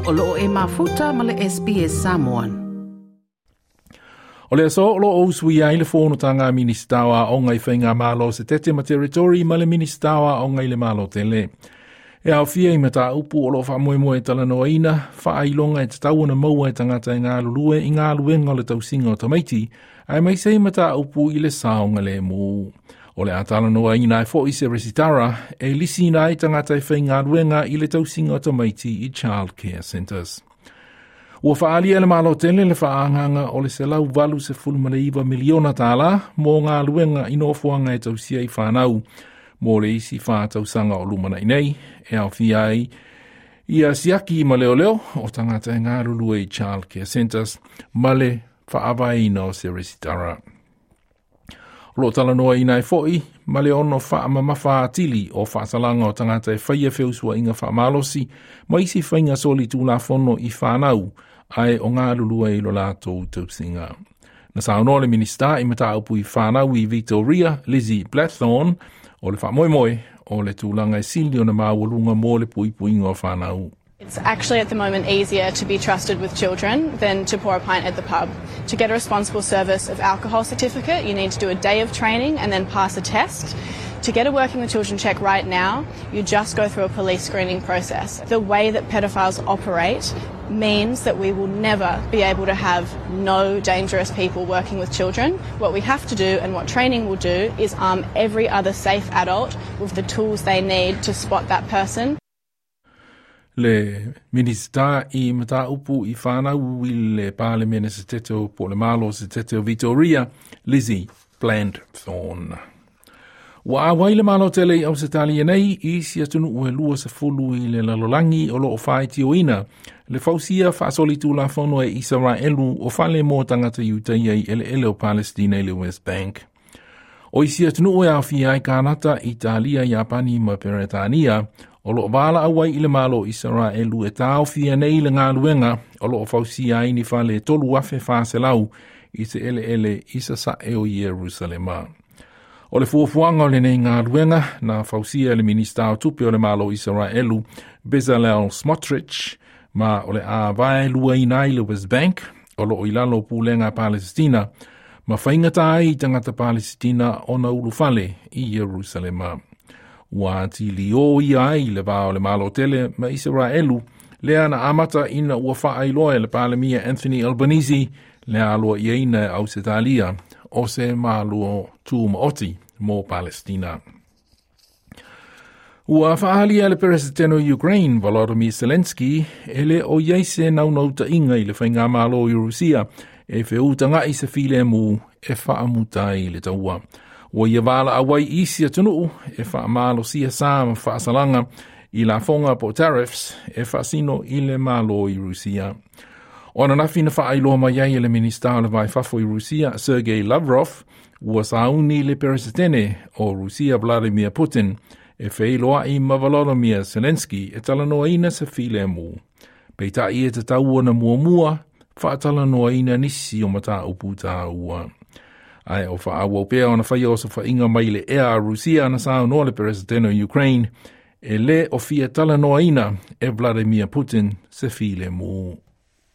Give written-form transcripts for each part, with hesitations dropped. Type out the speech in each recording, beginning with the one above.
O loo e mafuta ma le SBS Samoan. O le aso o lo o usuia ai le fonotaga a Minisita o Aoga i Faigamalo se tete ma Territory ma le Minisita o Aoga i le Malo tele. E aofia i mataupu o lo o faamoemoe e talanoaina, faailoga e tatau ona maua e tagata e galulue i galuega o le tausiga o tamaiti, aemaise ai mataupu i le saogalemu. O le a talanoaina ai foi se resitara e lisiina ai tagata e faigaluega i le tausiga o tamaiti i Child Care Centres. Ua faaalia e le Malo tele le faaagaaga o le $189 miliona tala mo galuega i nofoaga e tausia ai fanau mo le isi 4 tausaga o lumanai nei, e aofia ai ia siaki ma leoleo o tagata e galulue i Child Care Centres ma le faavaeina o se resitara. O lo o talanoaina ai foi ma le ono faamamafa atili o faasalaga o tagata e faia feusuaiga faamalosi ma isi faiga solitulafono i fanau ae o galulue i lo latou tausiga. Na saunoa le Minisita i mataupu i fanau i Victoria, Lizzie Blatthorne, o le faamoemoe o le tulaga e sili ona maualuga mo le puipuiga o fanau. It's actually at the moment easier to be trusted with children than to pour a pint at the pub. To get a responsible service of alcohol certificate, you need to do a day of training and then pass a test. To get a working with children check right now, you just go through a police screening process. The way that pedophiles operate means that we will never be able to have no dangerous people working with children. What we have to do and what training will do is arm every other safe adult with the tools they need to spot that person. Le Minisita i mataupu i fanau i le Palemene Setete o po le Malo Setete o Victoria, Lizzie Blandthorne. Ua auai le Malo tele i Ausetalia nei i isi atunuu e 20 i le lalolagi o lo o faitioina le fausia faasolitulafono e Isaraelu o fale mo tagata Iutaia i eleele o Palestina i le West Bank. O isi atunuu e aofia ai Kanata, Italia, Iapani ma Peretania o lo o valaau ai i le Malo Isaraelu e taofia nei le galuega o lo o fausia ai ni fale 3,400 i se eleele i sasae o Ierusalema. O le fuafuaga o lenei galuega na fausia e le Minisita o Tupe o le Malo Isaraelu, Bezalel Smotrich, ma o le a vaeluaina ai le West Bank o lo o i lalo o pulega a Palestina ma faigata ai i tagata Palesitina ona ulufale i Ierusalema. Ua atili o ia ai le va o le Malo tele ma Isaraelu lea na amata ina ua faailoa e le Palemia Anthony Albanese le aloaiaina e Ausetalia o se Malo tumaoti mo Palestina. Ua faaalia le Peresetene o Ukraine, Volodymyr Zelensky, e le o i ai se naunautaiga i le Faigamalo i Rusia e feutaga'i se filemu e faamuta ai le taua. Ua ia valaau ai i isi atunuu e faamalosia sa ma faasalaga i lafoga po tariffs e faasino i le Malo i Rusia. O ananafi na faailoa mai ai e le Minisita o le Va i Fafo i Rusia, Sergei Lavrov, ua sauni le Peresetene o Rusia Vladimir Putin e feiloai ma Volodymyr Zelensky e talanoaina se filemu. Peitai e tatau ona muamua faatalanoaina nisi o mataupu taua. Ae o faaauau pea ona faia osofaiga mai le ea a Rusia na saunoa le Peresetene o Ukraine e le o fia talanoaina e Vladimir Putin se filemu.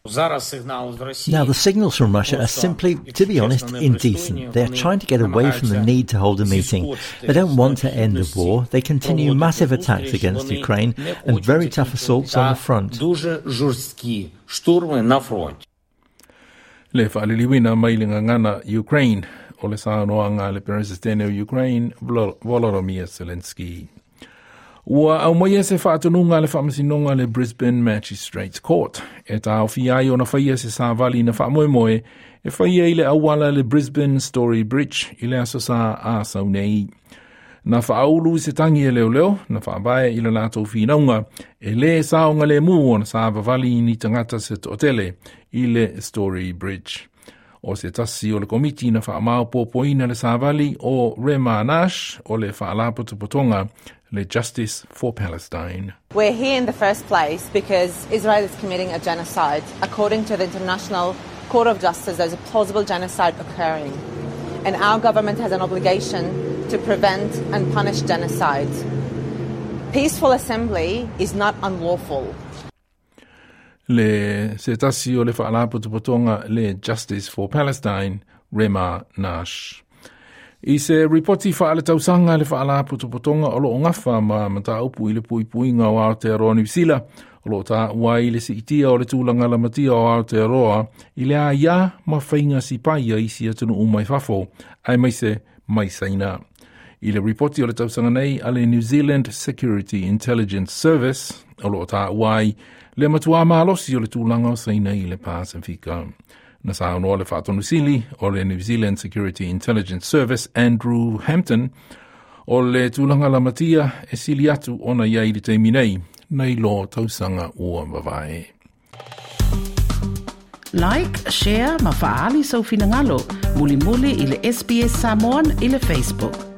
Now, the signals from Russia are simply, to be honest, indecent. They are trying to get away from the need to hold a meeting. They don't want to end the war. They continue massive attacks against Ukraine and very tough assaults on the front. Le faaliliuina mai le gagana Ukraine o le saunoaga a le Peresetene o Ukraine, Volodymyr Zelensky. Ua aumaia se faatonuga a le faamasinoga le Brisbane Magistrates Court e taofia ai ona faia se savali na faamoemoe e faia i le auala le Brisbane Story Bridge i le aso Sa a sau nei. Na faaulu i se tagi e leoleo na faavae i le latou finauga e lē saogalemu ona savavali ni tagata se toatele i le Story Bridge. O se tasi o le komiti na faamaopoopoina le savali o Rema Nash o le faalapotopotoga le Justice for Palestine. We're here in the first place because Israel is committing a genocide. According to the International Court of Justice, there's a plausible genocide occurring. And our government has an obligation to prevent and punish genocide. Peaceful assembly is not unlawful. Le se tasi o le faalapotopotoga le Justice for Palestine, Rema Nash. I se ripoti faaletausaga le faalapotopotoga o loo gafa ma mataupu i le puipuiga o Aotearoa Niusila, o loo taua ai le siitia o le tulaga lamatia o Aotearoa i le aiā ma faiga sipai a isi atunuu mai fafo, aemaise mai Saina. I le ripoti o le tausaga nei a le New Zealand Security Intelligence Service, o loo taua ai le matuā malosi o le tulaga o Saina i le Pasifika. Na saunoa le faatonusili o le New Zealand Security Intelligence Service, Andrew Hampton, o le tulaga lamatia e sili atu ona i ai i le taimi nei, nai lo tausaga ua mavae. Like, share ma faaali sou finagalo. Mulimuli i le SBS Samoan i le Facebook.